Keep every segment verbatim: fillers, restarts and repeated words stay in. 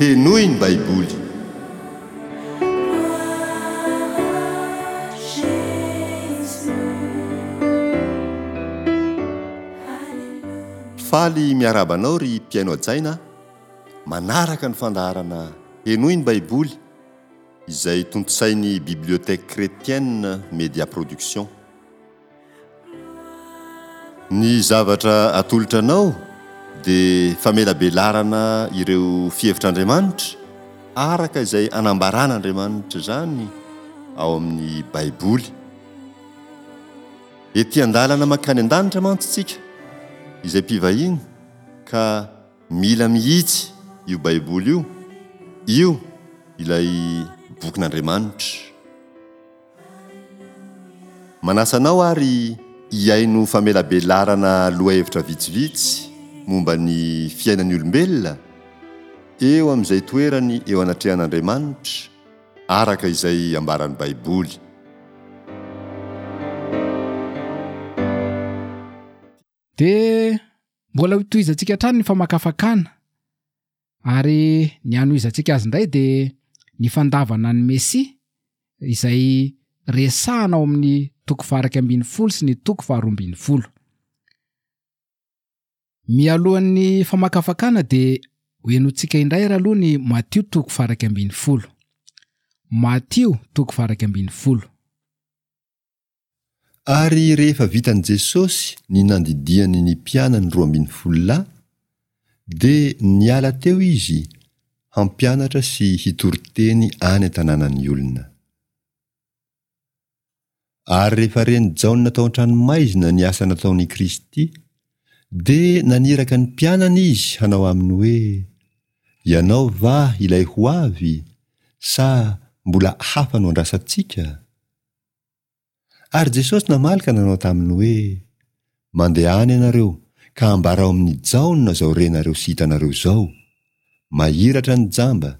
Henoy ny Baiboly. Faly miarahaba anao ry mpihaino hajaina manaraka ny fandaharana Henoy ny Baiboly izay tontosain'ny Bibliothèque Chrétienne Media Production. Ny zavatra atolotra anao dia famelabelarana ireo fihevitr'Andriamanitra araka izay anambaran'Andriamanitra izany ao amin'ny Baiboly. Ety an-dalana mankany an-danitra mantsy isika izay mpivahiny ka mila mihitsy io Baiboly io, io ilay bokin'Andriamanitra. Manasa anao ary hihaino famelabelarana lohahevitra vitsivitsy momba ny fiainan'ny olombelona eo amin'izay toerany eo anatrehan'Andriamanitra araka izay ambaran'ny Baiboly. Dia mbola hotohizantsika hatrany ny famakafakana ary ny hanohizantsika azy indray dia ny fandavana ny Mesia izay resahana ao amin'ny toko faha-iraika ambin'ny folo sy ny toko faharoa ambin'ny folo. Mialohan'ny famakafakana dia hohenointsika indray ary aloha ny Matio toko faha-iraika ambin'ny folo. Matio toko faha-iraika ambin'ny folo. Ary rehefa vitan'i Jesosy ny nandidiany ny mpianany roa ambin'ny folo lahy, dia niala teo izy hampianatra sy hitory teny any an-tanànan'ny olona. Ary rehefa ren'i Jaona tao an-tranomaizina ny asa nataon'i Kristy, dia naniraka ny mpianany izy hanao aminy hoe, Ianao va ilay ho avy, sa mbola hafa no andrasantsika? Ary Jesosy namaly ka nanao taminy hoe, Mandehana ianareo ka ambarao amin'i Jaona izao renareo sy hitanareo izao, mahiratra ny jamba,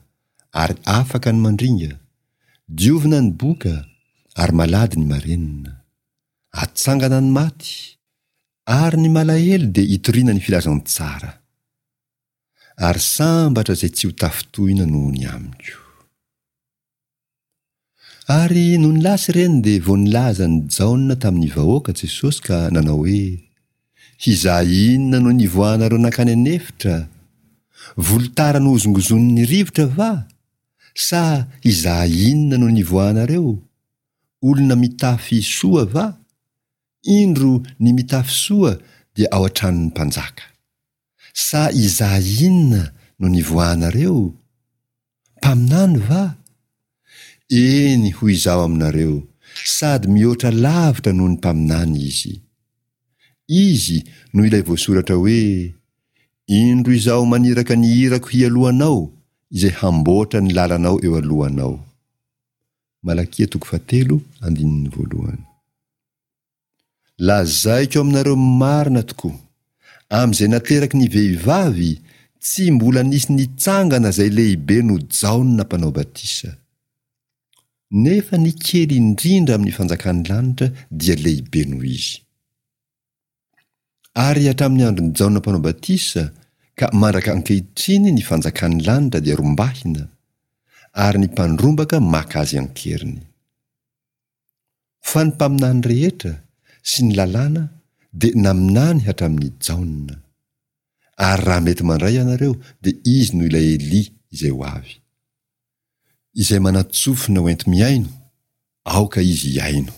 ary afaka ny mandringa, diovina ny boka, ary malady ny marenina. Atsangana ny maty, ary ny malahelo dia itoriana ny filazantsara. Ary sambatra izay tsy ho tafintohina noho ny amiko. Ary nony lasa ireny dia vao nilaza an'i Jaona tamin'ny vahoaka Jesosy ka nanao hoe, Hizaha inona no nivoahanareo nankany an'efitra? Volotara nohozongozonin'ny rivotra va? Sa hizaha inona no nivoahanareo? Olona mitafy soa va? Indro ny mitafy soa dia ao an-tranon'ny mpanjaka. Sa hizaha inona no nivoahanareo? Mpaminany va? Eny, hoy Izaho aminareo, sady mihoatra lavitra noho ny mpaminany izy. Izy no ilay voasoratra hoe, Indro Izaho maniraka ny irako hialoha anao, izay hamboatra ny lalanao eo alohanao. Malakia toko fahatelo andininy voalohany. Lazaiko aminareo marina tokoa, amin'izay nateraky ny vehivavy, tsy mbola nisy nitsangana izay lehibe noho Jaona Mpanao Batisa. Nefa ny kely indrindra amin'ny fanjakan'ny lanitra dia lehibe noho izy. Ary hatramin'ny andron'i Jaona Mpanao Batisa ka mandraka ankehitriny ny fanjakan'ny lanitra dia rombahina, ary ny mpandrombaka maka azy an-keriny. Fa ny mpaminany rehetra sy ny lalàna dia naminany hatramin'i Jaona. Ary raha mety mandray ianareo dia izy no ilay Elia izay ho avy. Izay manan-tsofina ho enti-mihaino, aoka izy hihaino.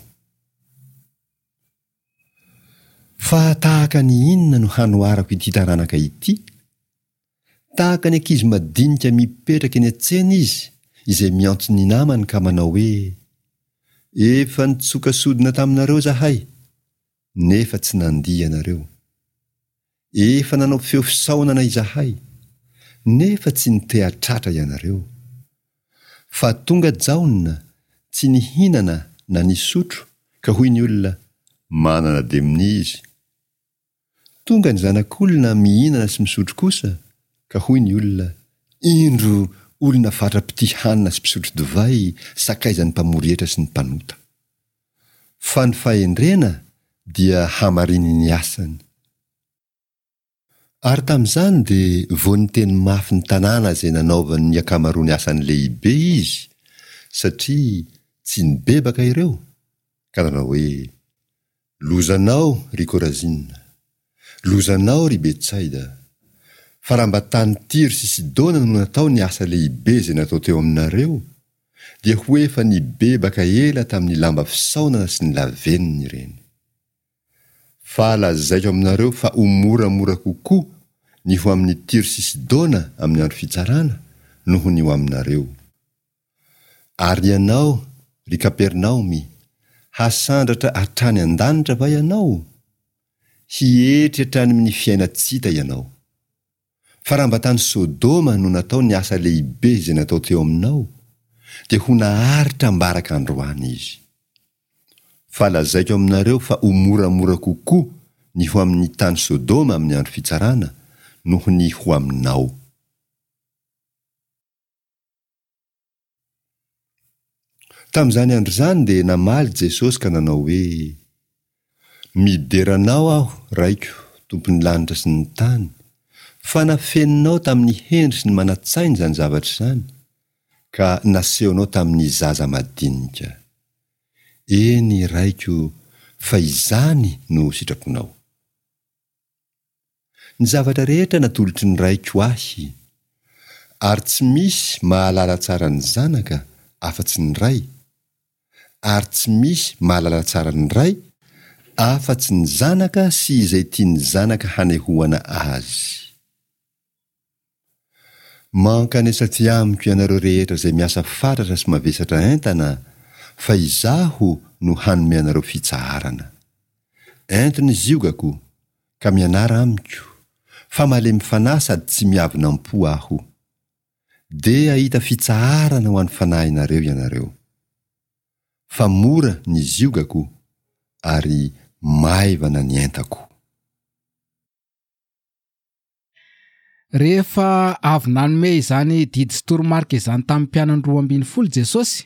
Fa tahaka ny inona no hanoharako ity taranaka ity? Tahaka ny ankizy madinika mipetraka eny an-tsena izy, izay miantso ny namany ka manao hoe, Efa nitsoka sodina taminareo izahay, nefa tsy nandihy ianareo. Efa nanao feo fisaonana izahay, nefa tsy niteha-tratra ianareo. Fa tonga Jaona, tsy nihinana na nisotro, ka hoy ny olona, Manana demonia izy. Tonga ny Zanak'olona mihinana sy misotro kosa, ka hoy ny olona, Indro olona fatra-pitia hanina sy mpisotro divay, sakaizan'ny mpamory hetra sy ny mpanota. Fa ny fahendrena dia hamarinin'ny asany. Ary tamin'izany dia vao niteny mafy ny tanàna izay nanaovany ny ankamaroany asany lehibe izy, satria tsy nibebaka ireo, ka nanao hoe, Lozanao, ry Korazina! Lozanao, ry Betsaida! Fa raha mba tany Tyro sy Sidona no natao ny asa lehibe izay natao teo aminareo, dia ho efa nibebaka ela tamin'ny lamba fisaonana sy ny lavenona ireny. Fa lazaiko aminareo fa ho moramora kokoa ny ho amin'i Tyro sy Sidona amin'ny andro fitsarana noho ny ho aminareo. Ary ianao, ry Kapernaomy, hasandratra hatrany an-danitra va ianao? Hietry hatrany amin'ny fiainan-tsy hita ianao. Fa raha mba tany Sodoma no natao ny asa lehibe izay natao teo aminao, dia ho naharitra ambaraka androany izy. Fa lazaiko aminareo fa ho moramora kokoa ny ho amin'ny tany Sodoma amin'ny andro fitsarana noho ny ho aminao. Tamin'izany andro izany dia namaly Jesosy ka nanao hoe, Midera Anao aho, Raiko, Tompon'ny lanitra sy ny tany, fa nafeninao tamin'ny hendry sy ny manan-tsaina izany zavatra izany, ka nasehonao tamin'ny zaza madinika. Eny, Raiko, fa izany no sitraponao. Ny zavatra rehetra natolotry ny Raiko ahy. Ary tsy misy mahalala tsara ny Zanaka afa-tsy ny Ray, ary tsy misy mahalala tsara ny Ray afa-tsy ny Zanaka sy izay tian'ny Zanaka hanehoana azy. Mankanesa aty amiko ianareo rehetra izay miasa fatratra sy mavesatra entana, fa Izaho no hanome anareo fitsaharana. Ento ny ziogako, ka mianara amiko, fa malemy fanahy sady tsy miavona am-po Aho. Dia hahita fitsaharana ho an'ny fanahinareo ianareo. Fa mora ny ziogako, ary maivana ny entako. Rehefa avy nanome izany didy sy toromarika izany tamin'ny mpianany roa ambin'ny folo Jesosy,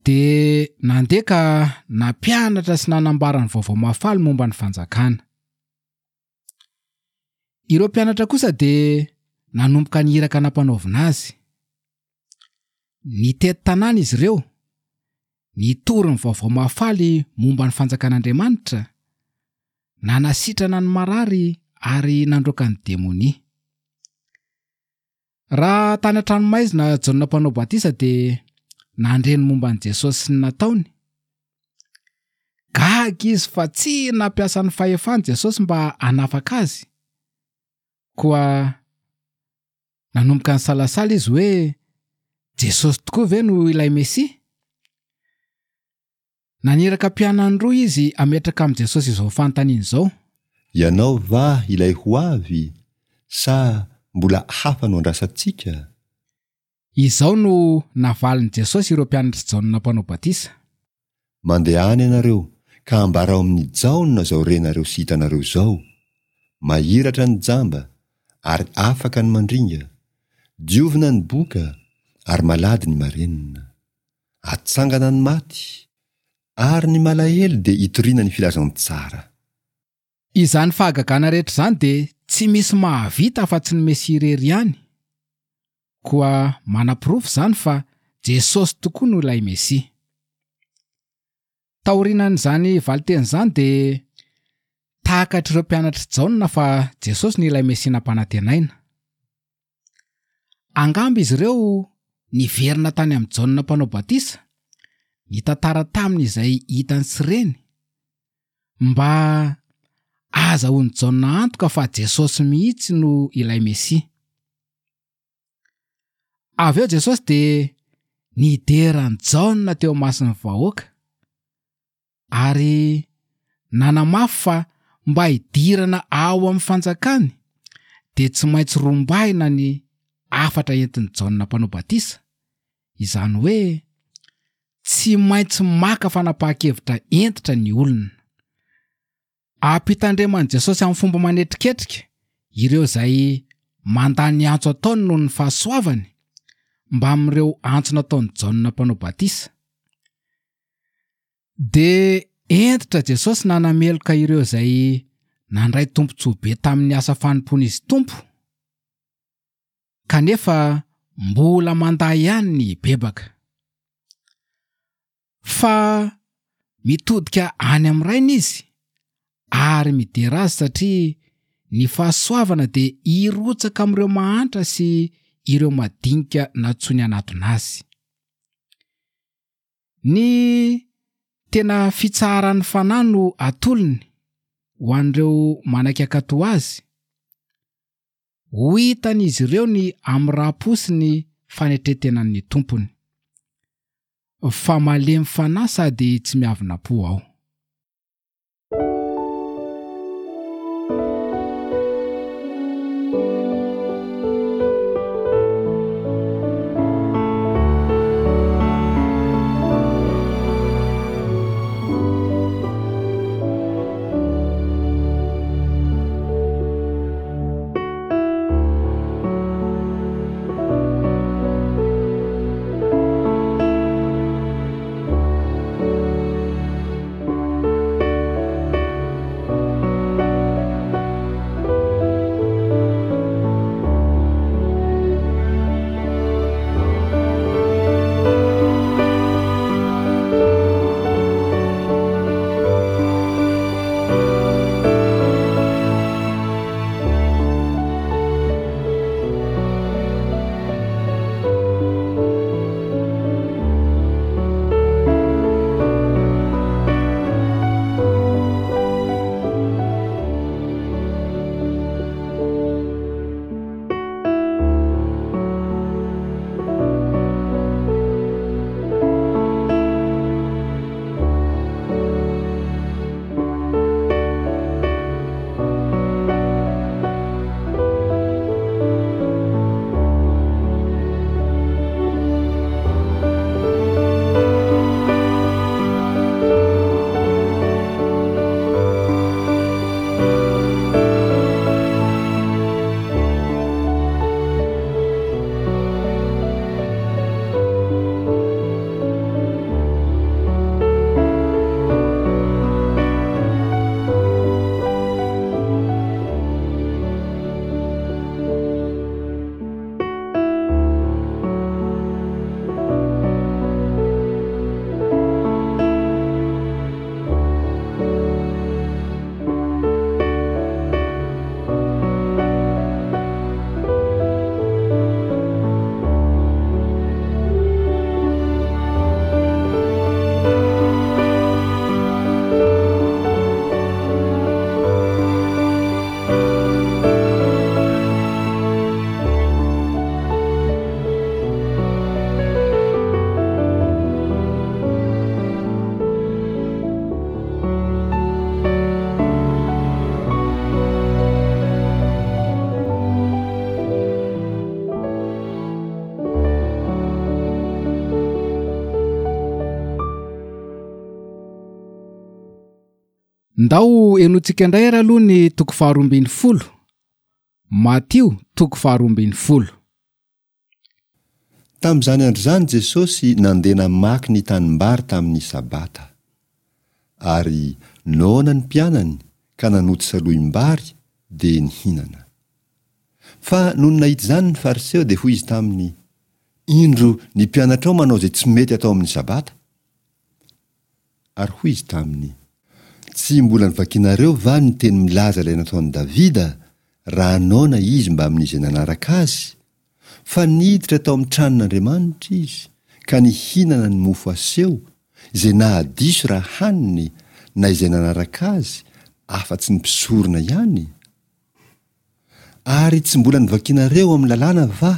dia nandeha ka nampianatra sy nanambara ny vaovao mahafaly momba ny fanjakana. Ireo mpianatra kosa dia nanomboka ny iraka nampanaovina azy. Nitety tanàna izy ireo, nitory ny vaovao mahafaly momba ny fanjakan'Andriamanitra, nanasitrana ny marary ary nandroaka ny demonia. Raha tany an-tranomaizina Jaona Mpanao Batisa dia nandre ny momba an'i Jesosy sy ny nataony. Gaga izy fa tsy nampiasa ny fahefany Jesosy mba hanafaka azy. Koa nanomboka nisalasala izy hoe Jesosy tokoa ve no ilay Mesia? Naniraka mpianany roa izy hametraka amin'i Jesosy izao fanontaniana izao. Ianao va ilay ho avy, sa mbola hafa no andrasantsika? Izao no navalin'i Jesosy ireo mpianatr'i Jaona Mpanao Batisa. Mandehana ianareo, ka ambarao amin'i Jaona izao renareo sy hitanareo izao, Mahiratra ny jamba, ary afaka ny mandringa, diovina ny boka, ary malady ny marenina. Atsangana ny maty, ary ny malahelo dia itoriana ny filazantsara. Izany fahagagana rehetra izany dia tsy misy mahavita afa-tsy ny Mesia irery ihany. Koa manaporofo izany fa Jesosy tokoa no ilay Mesia. Taorianan'izany valinteny izany dia takatr'ireo mpianatr'i Jaona fa Jesosy no ilay Mesia nampanantenaina. Angamba izy ireo niverina tany amin'i Jaona Mpanao Batisa, nitantara taminy izay hitany sy reny, mba ahazahoan'i Jaona antoka fa Jesosy mihitsy no ilay Mesia. Avy eo Jesosy dia nidera an'i Jaona teo imason'ny vahoaka, ary nanamafy fa mba hidirana ao amin'ny fanjakany dia tsy maintsy rombahina ny hafatra entin'i Jaona Mpanao Batisa, izany hoe tsy maintsy maka fanapahan-kevitra hentitra ny olona. Ampitandreman'i Jesosy amin'ny fomba manetriketrika ireo izay mandà ny antso ataony noho ny fahasoavany mbamin'ireo antso nataon'i Jaona Mpanao Batisa. Dia hentitra Jesosy nanameloka ireo izay nandray tombontsoa be tamin'ny asa fanompoan'izy Tompo, kanefa mbola mandà ihany ny hibebaka. Fa mitodika any amin'ny Rainy izy ary midera azy satria ny fahasoavana dia hirotsaka amin'ireo mahantra sy ireo madinika nantsoiny hanatona azy. Ny tena fitsaharan'ny fanahy no atolony ho an'ireo manaiky hankatò azy. Ho hitan'izy ireo ny hamoram-po sy ny fanetren-tenan'ny Tompony. Fa malemy fanahy sady tsy miavona-po aho. Ndao henointsika indray ary aloha ny toko faharoa ambin'ny folo. Matio toko faharoa ambin'ny folo. Tamin'izany andro izany Jesosy nandeha namaky ny tanimbary tamin'ny Sabata. Ary noana ny mpianany ka nanoty salohim-bary dia nihinana. Fa nony nahita izany ny Fariseo dia hoy izy taminy, Indro ny mpianatrao manao izay tsy mety atao amin'ny Sabata. Ary hoy izy taminy, Tsy mbola novakinareo va ny teny milaza ilay nataon'i Davida, raha noana izy mbamin'izay nanaraka azy? Fa niditra tao amin'ny tranon'Andriamanitra izy, ka nihinana ny mofo aseho, izay nahadiso raha haniny, na izay nanaraka azy, afa-tsy ny mpisorona ihany? Ary tsy mbola novakinareo ao amin'ny lalàna va,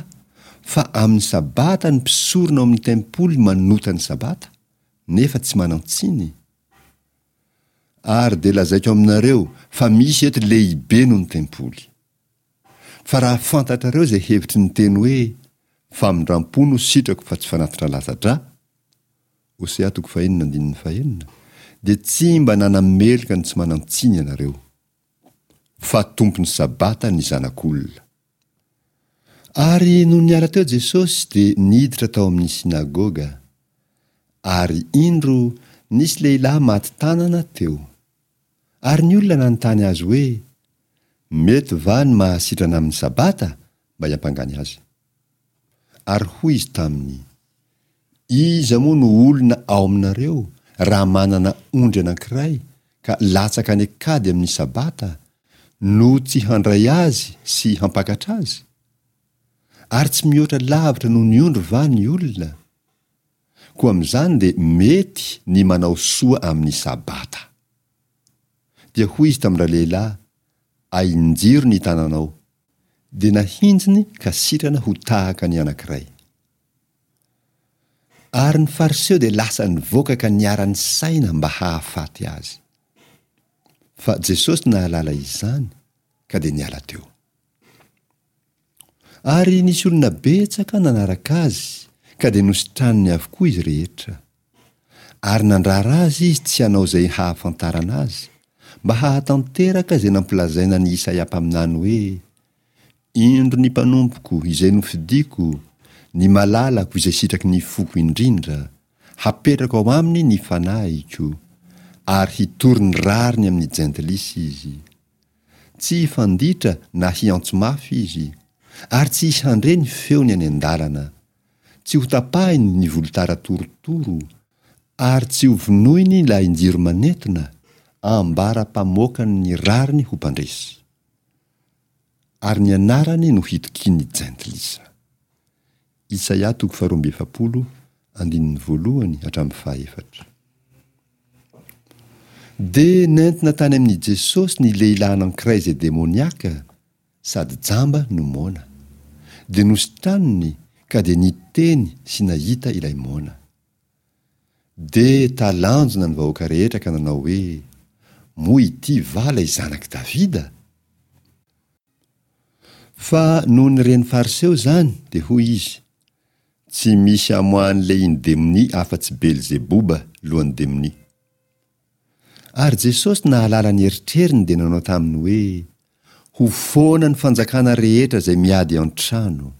fa amin'ny Sabata ny mpisorona ao amin'ny tempoly manota ny Sabata, nefa tsy manan-tsiny? Ary dia lazaiko aminareo fa misy eto lehibe noho ny tempoly. Fa raha fantatrareo izay hevitry ny teny hoe, Famindram-po no sitrako fa tsy fanatitra latsa-drà, Hosea toko fahenina andininy fahenina, dia tsy mba nanameloka ny tsy manan-tsiny ianareo. Fa Tompon'ny Sabata ny Zanak'olona. Ary nony niala teo Jesosy dia niditra tao amin'ny synagoga. Ary indro, nisy lehilahy maty tanana teo. Ary ny olona nanontany azy hoe, Mety va ny mahasitrana amin'ny Sabata? mba hiampangany azy. Ary hoy izy taminy, Iza moa no olona ao aminareo raha manana ondry anankiray ka latsaka any an-kady amin'ny Sabata, no tsy handray azy sy hampakatra azy? Ary tsy mihoatra lavitra noho ny ondry va ny olona? Koa amin'izany dia mety ny manao soa amin'ny Sabata. Dia hoy izy tamin-dralehilahy, Ahinjiro ny tananao. Dia nahinjiny ka sitrana ho tahaka ny anankiray. Ary ny Fariseo dia lasa nivoaka ka niara-nisaina mba hahafaty azy. Fa Jesosy nahalala izany, ka dia niala teo. Ary nisy olona betsaka nanaraka azy, ka dia nositraniny avokoa izy rehetra. Ary nandrara azy izy tsy hanao izay hahafantarana azy, mba hahatanteraka izay nampilazaina an'i Isaia mpaminany hoe, Indro ny mpanompoko izay nofidiko, ny malalako izay sitraky ny foko indrindra, hapetrako ao aminy ny fanahiko, ary hitory ny rariny amin'ny jentilisa izy. Tsy hifanditra na hiantso mafy izy, ary tsy hisy handre ny feony any an-dalana. Tsy hotapahiny ny volotara torotoro, ary tsy hovonoiny ny lahin-jiro manentona, ambara-pamoakany ny rariny ho mpandresy. Ary ny anarany no hitokian'ny jentilisa. Isaia toko faharoa amby efapolo, andininy voalohany hatramin'ny fahaefatra. Dia nentina tany amin'i Jesosy ny lehilahy anankiray izay demoniaka, sady jamba no moana. Dia nositraniny ka dia niteny sy nahita ilay moana. Dia talanjona ny vahoaka rehetra ka nanao hoe, Moa ity va ilay zanak'i Davida? Fa nony ren'ny Fariseo izany, dia hoy izy, Tsy misy amoahan'ny lehiny demonia afa-tsy Belzeboba, lohan'ny demonia. Ary Jesosy nahalala ny eritreriny dia nanao taminy hoe, Ho foana ny fanjakana rehetra izay miady an-trano,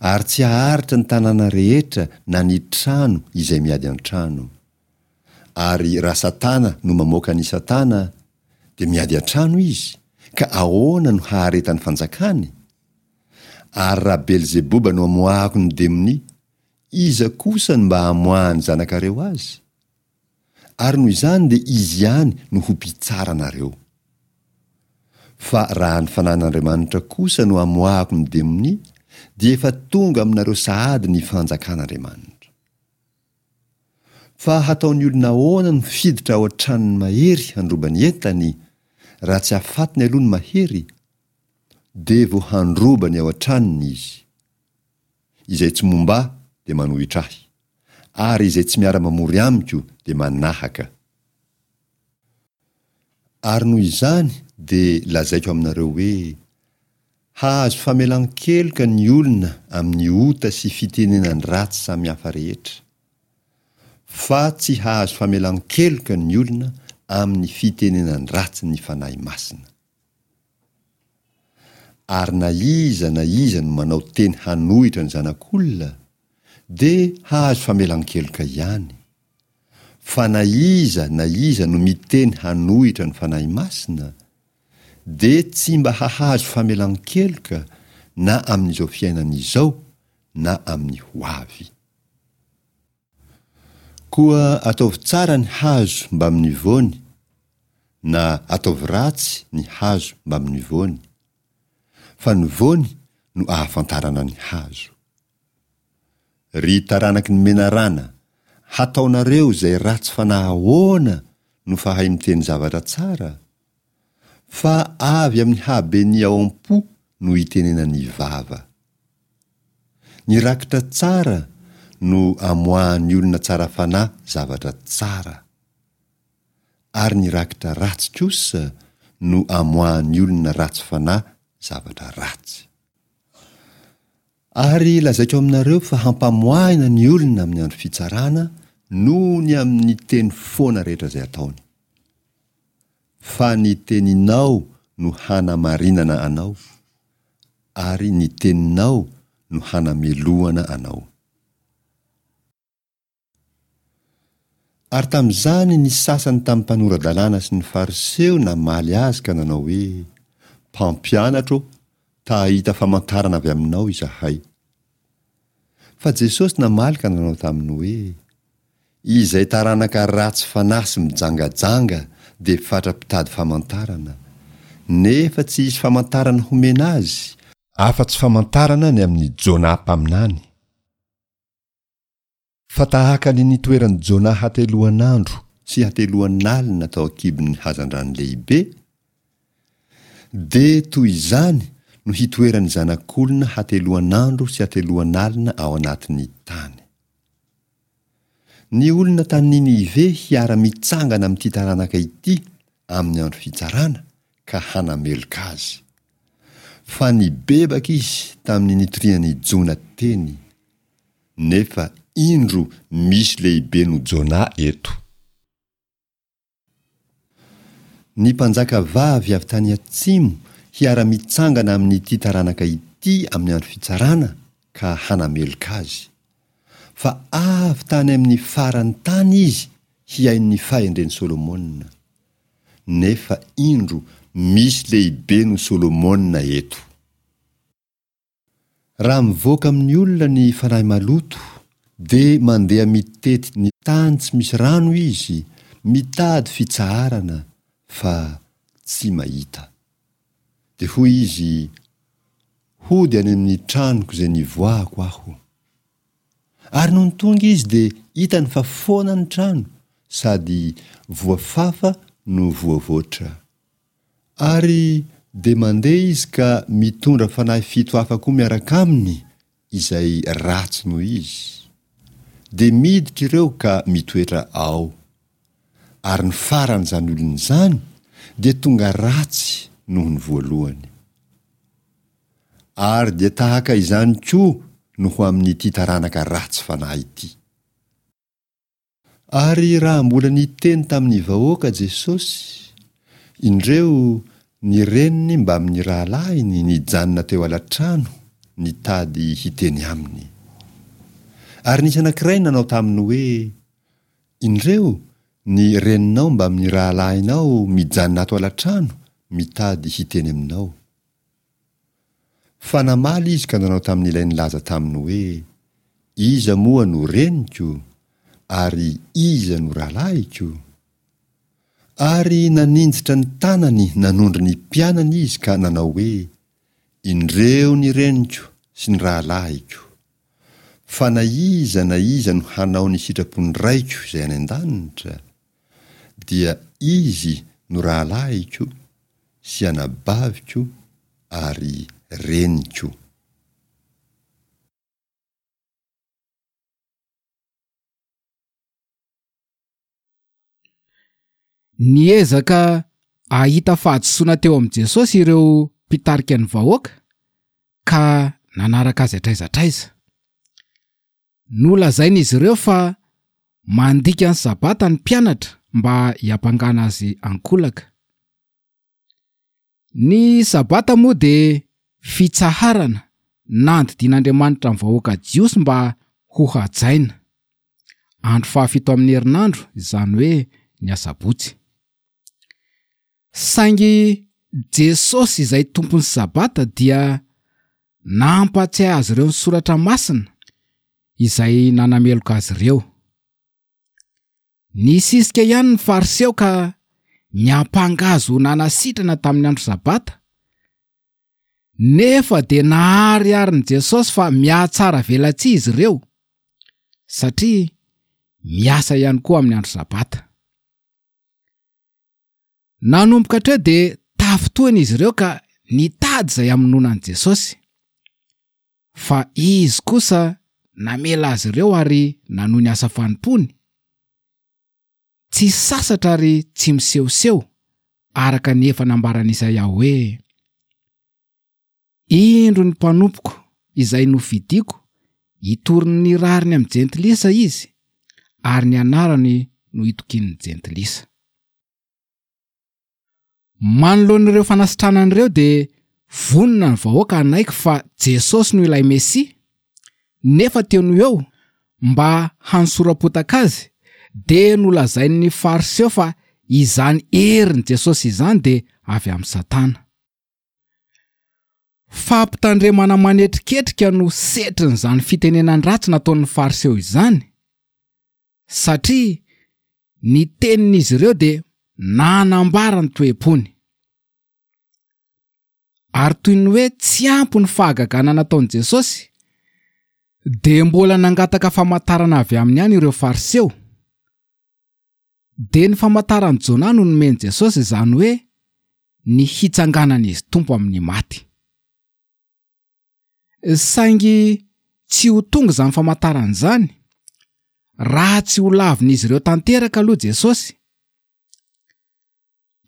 ary tsy haharitra ny tanàna rehetra na ny trano izay miady an-trano. Ary raha Satana no mamoaka an'i Satana, dia miady an-trano izy, ka ahoana no haharetan'ny fanjakany? Ary raha Belzeboba no amoahako ny demonia, iza kosa no mba hamoahan'ny zanakareo azy? Ary noho izany dia izy ihany no ho mpitsara anareo. Fa raha ny Fanahin'Andriamanitra kosa no amoahako ny demonia, dia efa tonga aminareo sahady ny fanjakan'Andriamanitra. Fa hataon'ny olona ahoana no hiditra ao an-tranon'ny mahery handroba ny entany, raha tsy afatiny aloha ny mahery? Dia vao handroba ny ao an-tranony izy. Izay tsy momba ahy dia manohitra ahy, ary izay tsy miara-mamory amiko dia manahaka. Ary noho izany dia lazaiko aminareo hoe, Hahazo famelan-keloka ny olona amin'ny ota sy fitenenan-dratsy samihafa rehetra, fa tsy hahazo famelan-keloka ny olona amin'ny fitenenan-dratsy ny Fanahy Masina. Ary na iza na iza no manao teny hanohitra ny Zanak'olona, dia hahazo famelan-keloka ihany. Fa na iza na iza no miteny hanohitra ny Fanahy Masina, dia tsy mba hahazo famelan-keloka na amin'izao fiainana izao na amin'ny ho avy. Koa ataovy tsara ny hazo mbamin'ny voany, na ataovy ratsy ny hazo mbamin'ny voany, fa ny voany no ahafantarana ny hazo. Ry taranaky ny menarana, hataonareo izay ratsy fanahy ahoana no fahay miteny zavatra tsara? Fa avy amin'ny haben'ny ao am-po no itenenan'ny vava. Ny rakitra tsara no amoahan'ny olona tsara fanahy zavatra tsara. Ary ny rakitra ratsy kosa no amoahan'ny olona ratsy fanahy zavatra ratsy. Ary lazaiko aminareo fa hampamoahina ny olona amin'ny andro fitsarana noho ny amin'ny teny foana rehetra izay ataony. Fa ny teninao no hanamarinana anao, ary ny teninao no hanamelohana anao. Ary tamin'izany ny sasany tamin'ny mpanora-dalàna sy ny Fariseo namaly azy ka nanao hoe, Mpampianatra ô, ta hahita famantarana avy aminao izahay. Fa Jesosy namaly ka nanao taminy hoe, Izay taranaka ratsy fanahy sy mijangajanga dia fatra-pitady famantarana, nefa tsy hisy famantarana homena azy, afa-tsy famantarana ny amin'i Jonah mpaminany. Fa tahaka ny nitoeran'i Jonah hateloan'andro sy hateloan'alina tao an-kibon'ny hazandrano lehibe, dia toy izany no hitoeran'ny Zanak'olona hateloan'andro sy hateloan'alina ao anatin'ny tany. Ny olona tany Ninive hiara-mitsangana amin'ity taranaka ity amin'ny andro fitsarana ka hanameloka azy. Fa nibebaka izy tamin'ny nitorian'i Jona teny. Nefa indro misy lehibe noho Jonah eto. Ny mpanjaka vavy avy tany atsimo hiara-mitsangana amin'ity taranaka ity amin'ny andro fitsarana ka hanameloka azy. Fa avy tany amin'ny faran'ny tany izy hihaino ny fahendren'i Solomona. Nefa indro misy lehibe noho Solomona eto. Raha mivoaka amin'ny olona ny fanahy maloto, dia mandeha mitety ny tany tsy misy rano izy, mitady fitsaharana, fa tsy mahita. Dia hoy izy, Hody any amin'ny tranoko izay nivoahako aho. Ary nony tonga izy dia hitany fa foana ny trano, sady voafafa no voavoatra. Ary dia mandeha izy ka mitondra fanahy fito hafa koa miaraka aminy izay ratsy noho izy. Dia miditra ireo ka mitoetra ao. Ary ny faran'izany olona izany dia tonga ratsy noho ny voalohany. Ary dia tahaka izany koa no ho amin'ity taranaka ratsy fanahy ity. Ary raha mbola niteny tamin'ny vahoaka Jesosy, indreo ny reniny mbamin'ny rahalahiny nijanona teo ala-trano nitady hiteny aminy. Ary nisy anankiray nanao taminy hoe, Indreo ny reninao mbamin'ny rahalahinao mijanona ato ala-trano mitady hiteny aminao. Fa namaly izy ka nanao tamin'ilay nilaza taminy hoe, Iza moa no reniko, ary iza no rahalahiko? Ary naninjitra ny tanany nanondro ny mpianany izy ka nanao hoe, Indreo ny reniko sy ny rahalahiko! Fa na iza na iza no hanao ny sitrapon'ny Raiko izay any an-danitra, dia izy no rahalahiko sy anabaviko ary reniko. Niezaka hahita fahadisoana teo amin'i Jesosy ireo mpitarika ny vahoaka ka nanaraka azy hatraiza hatraiza. Nolazain'izy ireo fa mandika ny Sabata ny mpianatra mba hiampangana azy ankolaka. Ny Sabata moa dia fitsaharana nandidian'Andriamanitra ny vahoaka Jiosy mba hohajaina. Andro fahafito amin'ny herinandro, izany hoe ny Asabotsy. Saingy Jesosy izay Tompon'ny Sabata dia nampatsiahy azy ireo ny Soratra Masina izay nanameloka azy ireo. Nisisika ihany ny Fariseo ka niampanga azy ho nanasitrana tamin'ny andro Sabata, nefa dia nahariharin'i Jesosy fa mihatsara velatsihy izy ireo, satria miasa ihany koa amin'ny andro Sabata. Nanomboka hatreo dia tafintohina izy ireo ka nitady izay hamonoana an'i Jesosy. Fa izy kosa namela azy ireo ary nanohy ny asa fanompoany. Tsy sasatra ary tsy misehoseho, araka ny efa nambaran'i Isaia hoe, Indro ny mpanompoko izay nofidiko, hitory ny rariny amin'ny jentilisa izy, ary ny anarany no hitokian'ny jentilisa. Manoloana ireo fanasitranana ireo dia vonona ny vahoaka hanaiky fa Jesosy no ilay Mesia, nefa teo no eo, mba hanosoram-potaka azy, dia nolazain'ny Fariseo fa izany herin'i Jesosy izany dia avy amin'i Satana. Fampitandremana manetriketrika no setrin'izany fitenenan-dratsy nataon'ny Fariseo izany, satria ny tenin'izy ireo dia nanambara ny toe-pony. Ary toy ny hoe tsy ampy ny fahagagana nataon'i Jesosy, dia mbola nangataka famantarana avy aminy ihany ireo Fariseo. Dia ny famantaran'i Jona no nomen'i Jesosy, izany hoe ny hitsanganan'izy Tompo amin'ny maty. Saingy tsy ho tonga izany famantarana izany raha tsy ho lavin'izy ireo tanteraka aloha Jesosy.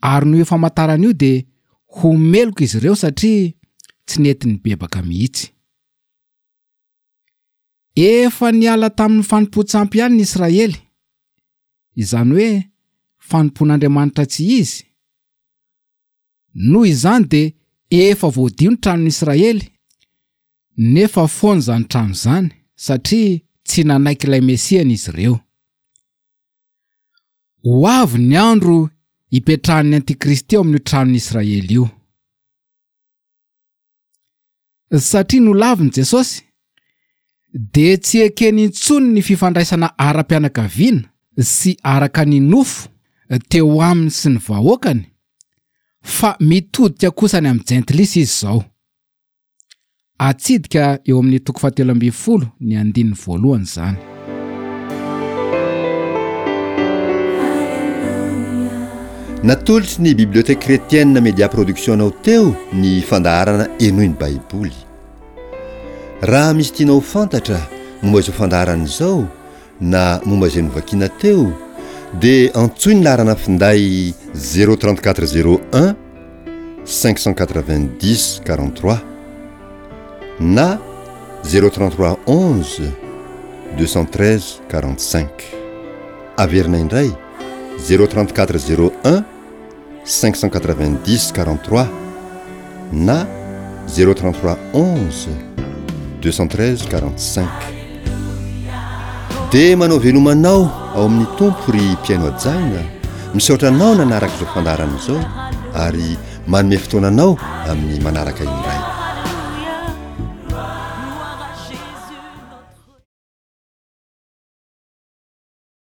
Ary noho io famantarana io dia ho meloka izy ireo satria tsy nety nibebaka mihitsy. Efa niala tamin'ny fanompoan-tsampy ihany ny Israely, izany hoe fanompoan'Andriamanitra tsy izy. Noho izany dia efa voadio ny tranon'ny Israely, nefa foana izany trano izany satria tsy nanaiky ilay Mesiany izy ireo. Ho avy ny andro hipetrahan'ny Antikristy ao amin'io tranon'ny Israely io. Satria nolavin'i Jesosy, dia tsy ekeny intsony ny fifandraisana ara-pianakaviana sy araka ny nofo teo aminy sy ny vahoakany, fa mitodika kosa any amin'ny jentilisa izy izao. Atsidika eo amin'ny toko fahatelo ambin'ny folo ny andininy voalohany izany. Natolotry ny Bibliothèque Chrétienne Media Production anao teo ny fandaharana Henoy ny Baiboly. Raha misy tianao ho fantatra momba izao fandaharana izao na momba izay novakiana teo dia antsoy ny laharana finday zéro trente-quatre zéro un cinq cent quatre-vingt-dix quarante-trois na zéro trente-trois onze deux cent treize quarante-cinq. Averina indray zéro trente-quatre zéro un cinq cent quatre-vingt-dix quarante-trois na zéro trente-trois onze deux cent treize quarante-cinq. Dia manao veloma anao ao amin'ny Tompo ry mpihaino hajaina, misaotra anao nanaraka izao fandaharana izao ary manome fotoana anao amin'ny manaraka indray.